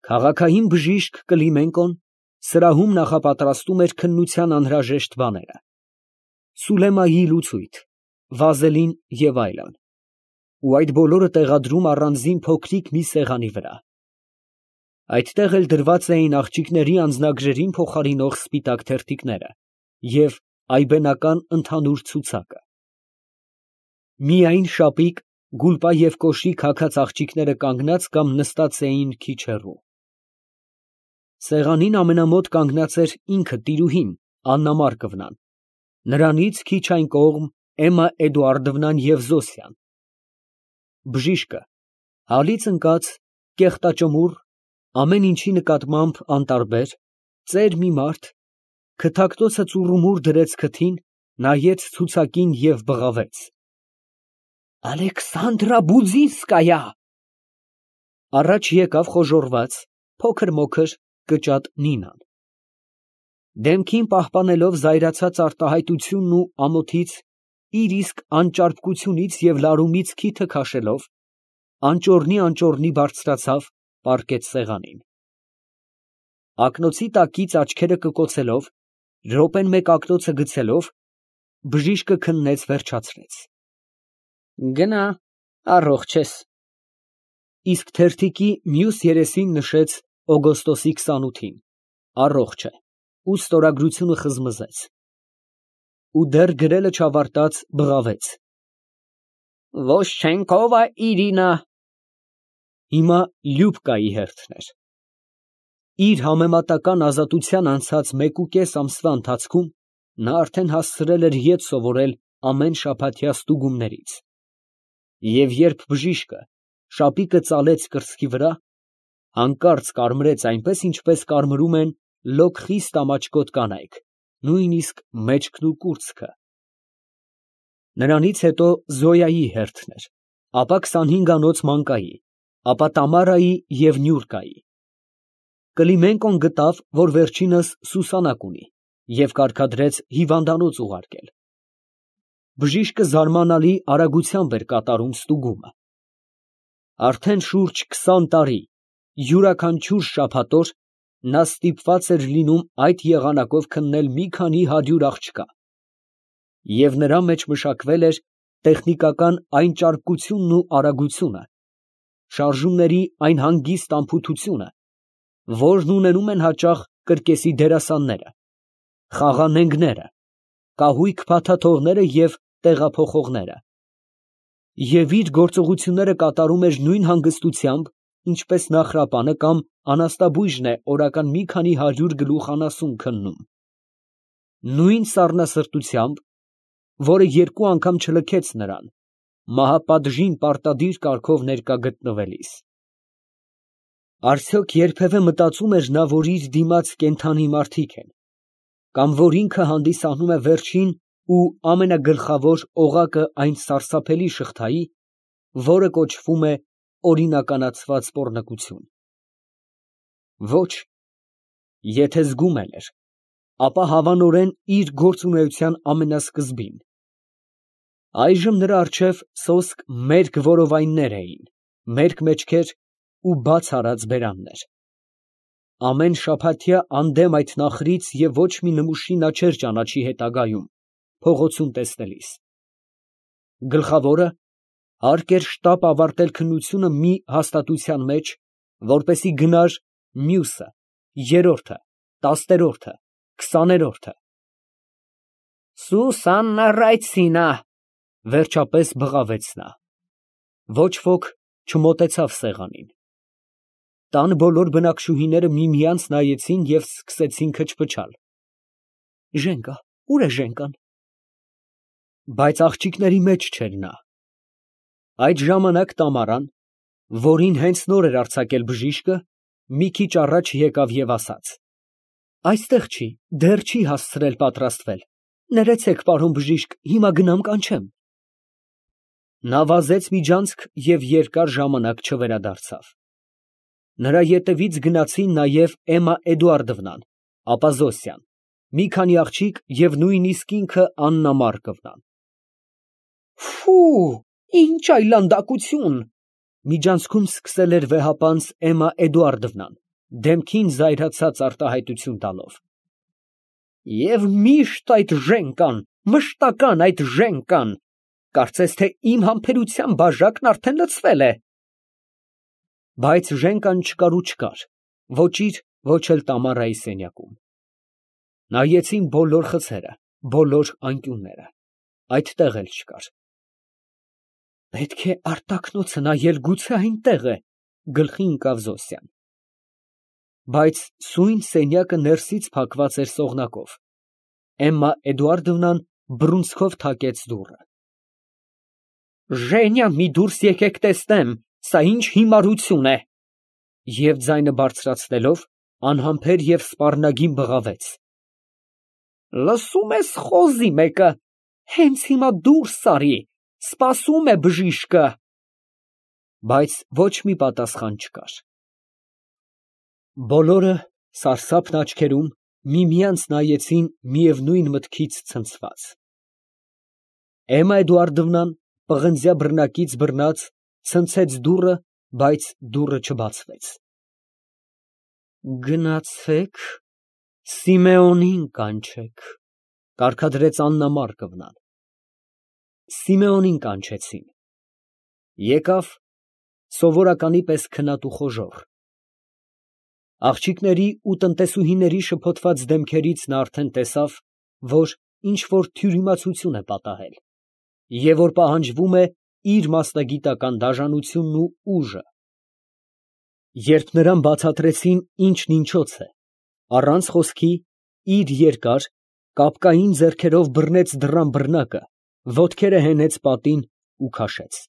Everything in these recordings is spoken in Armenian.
Քաղաքային բժիշկ Կլիմենկոն սրահում նախապատրաստում էր քննության անհրաժեշտ բաները. Սուլեմայի լուցույթ, վազելին և այլն, ու այդ բոլորը տեղադրում առանձին փոքրիկ մի սեղանի վրա։ Այդտեղ էլ դրված էին աղջիկների անձնագրերին փոխարինող սպիտակ թերթիկները և այբենական ընդհանուր ցուցակը։ Միայն շապիկ, գուլպա և կոշիկ հագած աղջիկները կանգնած կամ նստած էին քիչ հեռու։ Սեղանին ամենամոտ կանգնած էր ինքը տիրուհին Աննա Մարկովնան, նրանից քիչ այն կողմ Էմմա Էդուարդովնան և Զոսյան։ Բժիշկը հալից ընկած, կեղտաճմուռ, ամեն ինչի նկատմամբ անտարբեր, ծեր մի մարդ, քթակտոցը ծուռումուռ դրեց քթին, նայեց ցուցակին և բղավեց. «Ալեքսանդրա Բուդինսկայա»։ Առաջ եկավ խոժոռված, փոքր֊մոքր, կճատ Նինան։ Դեմքին պահպանելով զայրացած արտահայտությունն ու ամոթից, իր իսկ անճարպկությունից և լարումից քիթը քաշելով, անճոռնի բարձրացավ, պառկեց սեղանին։ Ակնոցի տակից աչքերը կկոցելով, րոպեն մեկ ակնոցը գցելով, բժիշկը քննեց, վերջացրեց. Գնա, առողջ ես։ Իսկ թերթիկի մյուս երեսին նշեց օգոստոսի 28-ին, առողջ է, ու ստորագրությունը խզմզեց։ Ու դեռ գրելը չավարտած բղավեց. Վոշչենկովա Իրինա։ Հիմա Լյուբկայի հերթն էր։ Իր համեմատական ազատության անցած 1.5 ամսվա ընթացքում նա արդեն հասցրել էր ետ սովորել ամեն շաբաթյա ստուգումներից։ Եվ երբ բժիշկը շապիկը ծալեց կրծքի վրա, հանկարծ կարմրեց այնպես, ինչպես կարմրում են լոկ խիստ ամաչկոտ կանայք, նույնիսկ մեջքն ու կուրծքը։ Նրանից հետո Զոյայի հերթն էր, ապա 25-անոց Մանկայի, ապա Տամարայի և Նյուրկայի։ Կլիմենկոն գտավ, որ վերջինս սուսանակ ունի, և կարգադրեց հիվանդանոց ուղարկել։ Բժիշկը զարմանալի արագությամբ էր կատարում ստուգումը։ Արդեն շուրջ 20 տարի, յուրաքանչյուր շաբաթօր նա ստիպված էր լինում այդ եղանակով քննել մի քանի 100 աղջկա, և նրա մեջ մշակվել էր տեխնիկական այն ճարպկությունն ու արագությունը, շարժումների այն հանգիստ անփութությունը, որն ունենում են հաճախ կրկեսի դերասանները, խաղանենգները, կահույք փաթաթողները և տեղափոխողները, և իր գործողությունները կատարում էր նույն հանգստությամբ, ինչպես նախրապանը կամ անաստաբույժն է օրական մի քանի 100 գլուխ անասուն քննում, նույն սառնասրտությամբ, որը երկու անգամ չլքեց նրան, մահապատժին պարտադիր կարգով ներկա գտնվելիս։ Արդյոք երբևէ մտածում էր նա, որ իր դիմաց կենդանի մարդիկ են, կամ որ ինքը հանդիսանում է վերջին ու ամենագլխավոր օղակը այն սարսափելի շղթայի, որը կոչվում է օրինականացված պոռնկություն։ Ոչ, եթե զգում էլ էր, ապա հավանորեն իր գործունեության ամենասկզբին։ Այժմ նրա առջև սոսկ մերկ որովայններ էին, մերկ մեջքեր ու բաց արած բերաններ։ Ամեն շաբաթյա անդեմ այդ նախրից և ոչ մի նմուշի նա չէր ճանաչի հետագայում, փողոցում տեսնելիս։ Գլխավորը հարկ էր շտապ ավարտել քննությունը մի հաստատության մեջ, որպեսզի գնար մյուսը, երրորդը, տասներորդը, 20-րդը։ Սուսաննա Ռայցինա, վերջապես բղավեց նա։ Ոչ ոք չմոտեցավ սեղանին։ Տան բոլոր բնակչուհիները միմյանց նայեցին և սկսեցին քչփչալ։ Ժենկա, ո՞ւր է Ժենկան։ Բայց աղջիկների մեջ չէր նա։ Այդ ժամանակ Տամարան, որին հենց նոր էր արձակել բժիշկը, մի քիչ առաջ եկավ և ասաց. Այստեղ չի, դեռ չի հասցրել պատրաստվել։ Ներեցեք, պարոն բժիշկ, հիմա գնամ կանչեմ։ Նա վազեց միջանցք և երկար ժամանակ չվերադարձավ։ Նրա ետևից գնացին նաև Էմմա Էդուարդովնան, ապա Զոսյան, մի քանի աղջիկ և նույնիսկ ինքը Աննա Մարկովնան։ Ֆու, ինչ այլանդակություն, միջանցքում սկսել էր վեհապանծ Էմմա Էդուարդովնան, դեմքին զայրացած արտահայտություն տալով։ Եվ միշտ այդ ժենկան, մշտական այդ ժենկան, կարծես թե իմ համբերության բաժակն արդեն լցվել է։ Բայց ժենկան չկար ու չկար, ոչ իր, ոչ էլ Տամարայի սենյակում։ Նայեցին բոլոր խցերը, բոլոր անկյունները, այդտեղ էլ չկար։ Պետք է արտակնոցը նայել, գուցե այնտեղ է, գլխի ընկավ Զոսյան։ Բայց սույն սենյակը ներսից փակված էր սողնակով։ Էմմա Էդուարդովնան բռունցքով թակեց դուռը։ Ժենյա, մի դուրս եկեք տեսնեմ, սա ինչ հիմարություն է։ Եվ ձայնը բարձրացնելով, անհամբեր և սպառնագին բղավեց. Լսում ես խոզի մեկը, հենց հիմա դուրս արի, սպասում է բժիշկը։ Բայց ոչ մի պատասխան չկար։ Բոլորը սարսափն աչքերում միմյանց նայեցին միևնույն մտքից ցնցված։ Էմմա Էդուարդովնան պղնձյա բռնակից բռնած ցնցեց դուռը, բայց դուռը չբացվեց։ Գնացեք, Սիմեոնին կանչեք, կարգադրեց Աննա Մարկովնան։ Սիմեոնին կանչեցին։ Եկավ սովորականի պես քնած ու խոժոռ։ Աղջիկների ու տնտեսուհիների շփոթված դեմքերից նա արդեն տեսավ, որ ինչ որ թյուրիմացություն է պատահել, և որ պահանջվում է իր մասնագիտական դաժանությունն ու ուժը։ Երբ նրան բացատրեցին ինչն ինչոց է, առանց խոսքի, իր երկար, կապկային ձեռքերով բռնեց դռան բռնակը, ոտքերը հենեց պատին ու քաշեց։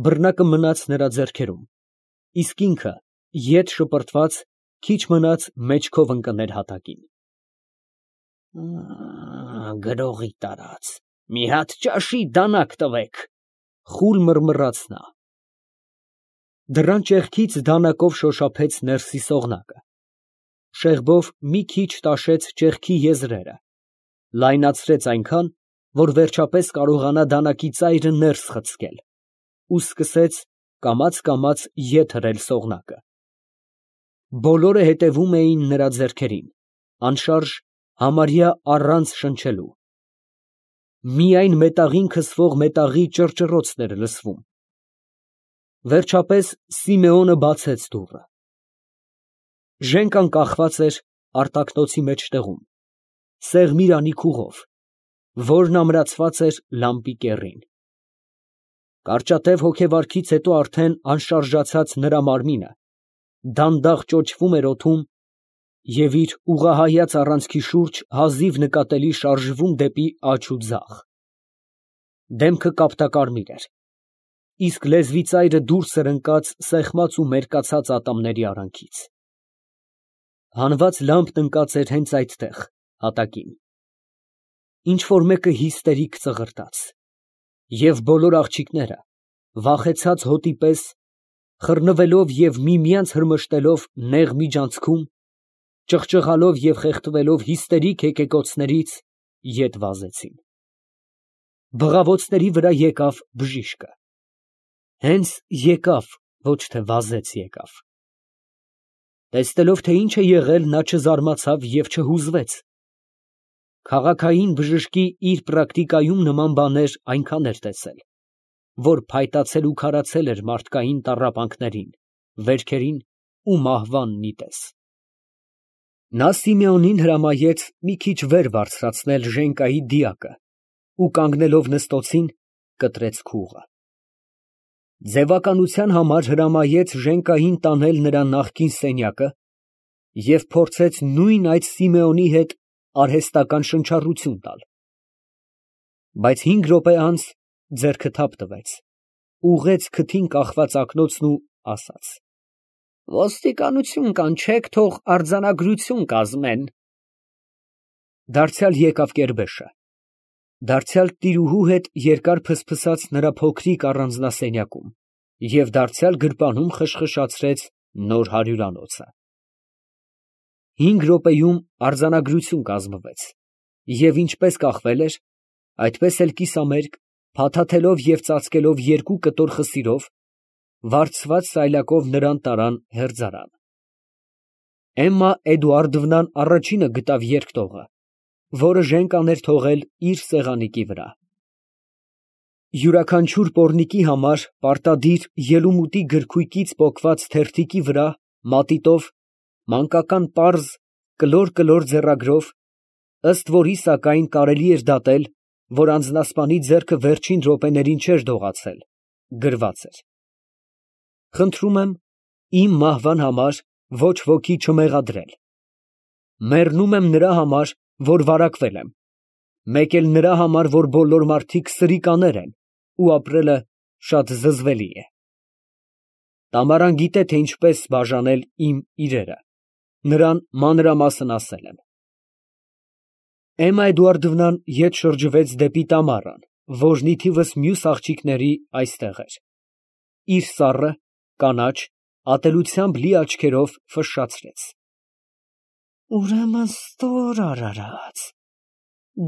Բռնակը մնաց նրա ձեռքերում, իսկ ինքը, ետ շպրտված, քիչ մնաց մեջքով ընկներ հատակին։ Գրողի տարած, մի հատ ճաշի դանակ տվեք, խուլ մռմռաց նա։ Դռան ճեղքից դանակով շոշափեց ներսի սողնակը, շեղբով մի քիչ տաշեց ճեղքի եզրերը, լայնացրեց այնքան, որ վերջապես կարողանա դանակի ծայրը ներս խցկել ու սկսեց կամաց ետ հրել սողնակը։ Բոլորը հետևում էին նրա ձեռքերին, անշարժ, համարյա առանց շնչելու։ Միայն մետաղին քսվող մետաղի ճռճռոցն էր լսվում։ Վերջապես Սիմեոնը բացեց դուռը։ Ժենկան կախված էր արտակնոցի մեջտեղում, սեղմիրանի քուղով, որն ամրացված էր լամպի կեռին։ Կարճատև հոգեվարքից հետո արդեն անշարժացած նրա մարմինը դանդաղ ճոճվում էր օդում և իր ուղղահայաց առանցքի շուրջ հազիվ նկատելի շարժվում դեպի աջ ու ձախ։ Դեմքը կապտակարմիր էր, իսկ լեզվի ծայրը դուրս էր ընկած սեղմած ու մերկացած ատամների արանքից։ Հանված լամպն ընկած էր հենց այդտեղ, հատակին։ Ինչ֊որ մեկը հիստերիկ ծղրտաց, և բոլոր աղջիկները, վախեցած հոտի պես, խռնվելով և միմյանց հրմշտելով նեղ միջանցքում, ճղճղալով և խեղդվելով հիստերիկ եկեկոցներից, ետ վազեցին։ Բղավոցների վրա եկավ բժիշկը։ Հենց եկավ, ոչ թե վազեց եկավ։ Տեսնելով, թե ինչ է եղել, նա չզարմացավ և չհուզվեց։ Քաղաքային բժշկի իր պրակտիկայում նման բաներ այնքան էր տեսել, որ փայտացել ու քարացել էր մարդկային տառապանքներին, վերքերին ու մահվան նիտես։ Նա Սիմեոնին հրամայեց մի քիչ վեր բարձրացնել ժենկայի դիակը ու կանգնելով նստոցին, կտրեց քուղը։ Ձևականության համար հրամայեց ժենկային տանել նրա նախկին սենյակը և փորձեց նույն այդ Սիմեոնի հետ արհեստական շնչառություն տալ։ Բայց 5 րոպե անց ձեռքը թափ տվեց, ուղղեց քթին կախված ակնոցն ու ասաց. Ոստիկանություն կանչեք, թող արձանագրություն կազմեն։ Դարձյալ եկավ կերբեշը, դարձյալ տիրուհու հետ երկար փսփսաց նրա փոքրիկ առանձնասենյակում և դարձյալ գրպանում խշխշացրեց նոր հարյուրանոցը։ 5 րոպեում արձանագրություն կազմվեց, և ինչպես կախվել էր, այդպես էլ կիսամերկ, փաթաթելով և ծածկելով 2 կտոր խսիրով, վարձված սայլակով նրան տարան հերձարան։ Էմմա Էդուարդովնան առաջինը գտավ երկտողը, որը ժենք աներ թողել իր սեղանիկի վրա։ Յուրաքանչյուր պոռնիկի համար պարտադիր ելումուտի գրքույկից պոկված թերթիկի վրա մատիտով մանկական պարզ կլոր ձեռագրով, ըստ որի սակայն կարելի էր դատել, որ անձնասպանի ձեռքը վերջին րոպեներին չէր դողացել, գրված էր. «Խնդրում եմ իմ մահվան համար ոչ ոքի չմեղադրել։ Մեռնում եմ նրա համար, որ վարակվել եմ, մեկ էլ նրա համար, որ բոլոր մարդիկ սրիկաներ են ու ապրելը շատ զզվելի է։ Տամարան գիտե, թե ինչպես բաժանել իմ իրերը, նրան մանրամասն ասել եմ»։ Էմմա Էդուարդովնան ետ շրջվեց դեպի Տամարան, որն ի թիվս մյուս աղջիկների այստեղ էր, իր սառը, կանաչ, ատելությամբ լի աչքերով ֆշշացրեց. «Ուրեմն ստոր արարած,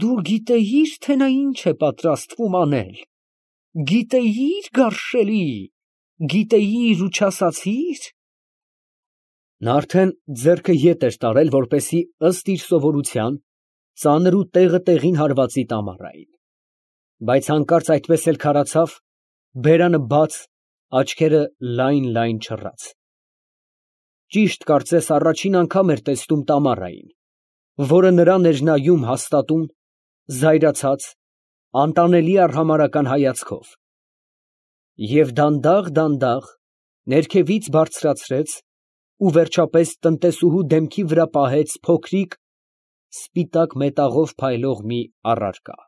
դու գիտեիր, թե նա ինչ է պատրաստվում անել, գիտեիր, գարշելի, գիտեիր ու չասացի՞ր»։ Նա արդեն ձեռքը ետ էր տարել, որպեսզի ըստ իր սովորության ծանր ու տեղը տեղին հարվածի Տամարային, բայց հանկարծ այդպես էլ քարացավ, բերանը բաց, աչքերը լայն չռած։ Ճիշտ կարծես առաջին անգամ էր տեսնում Տամարային, որը նրան էր նայում հաստատուն, զայրացած, անտանելի արհամարհական հայացքով, և դանդաղ ներքևից բարձրացրեց ու վերջապես տնտեսուհու դեմքի վրա պահեց փոքրիկ, սպիտակ մետաղով փայլող մի առարկա։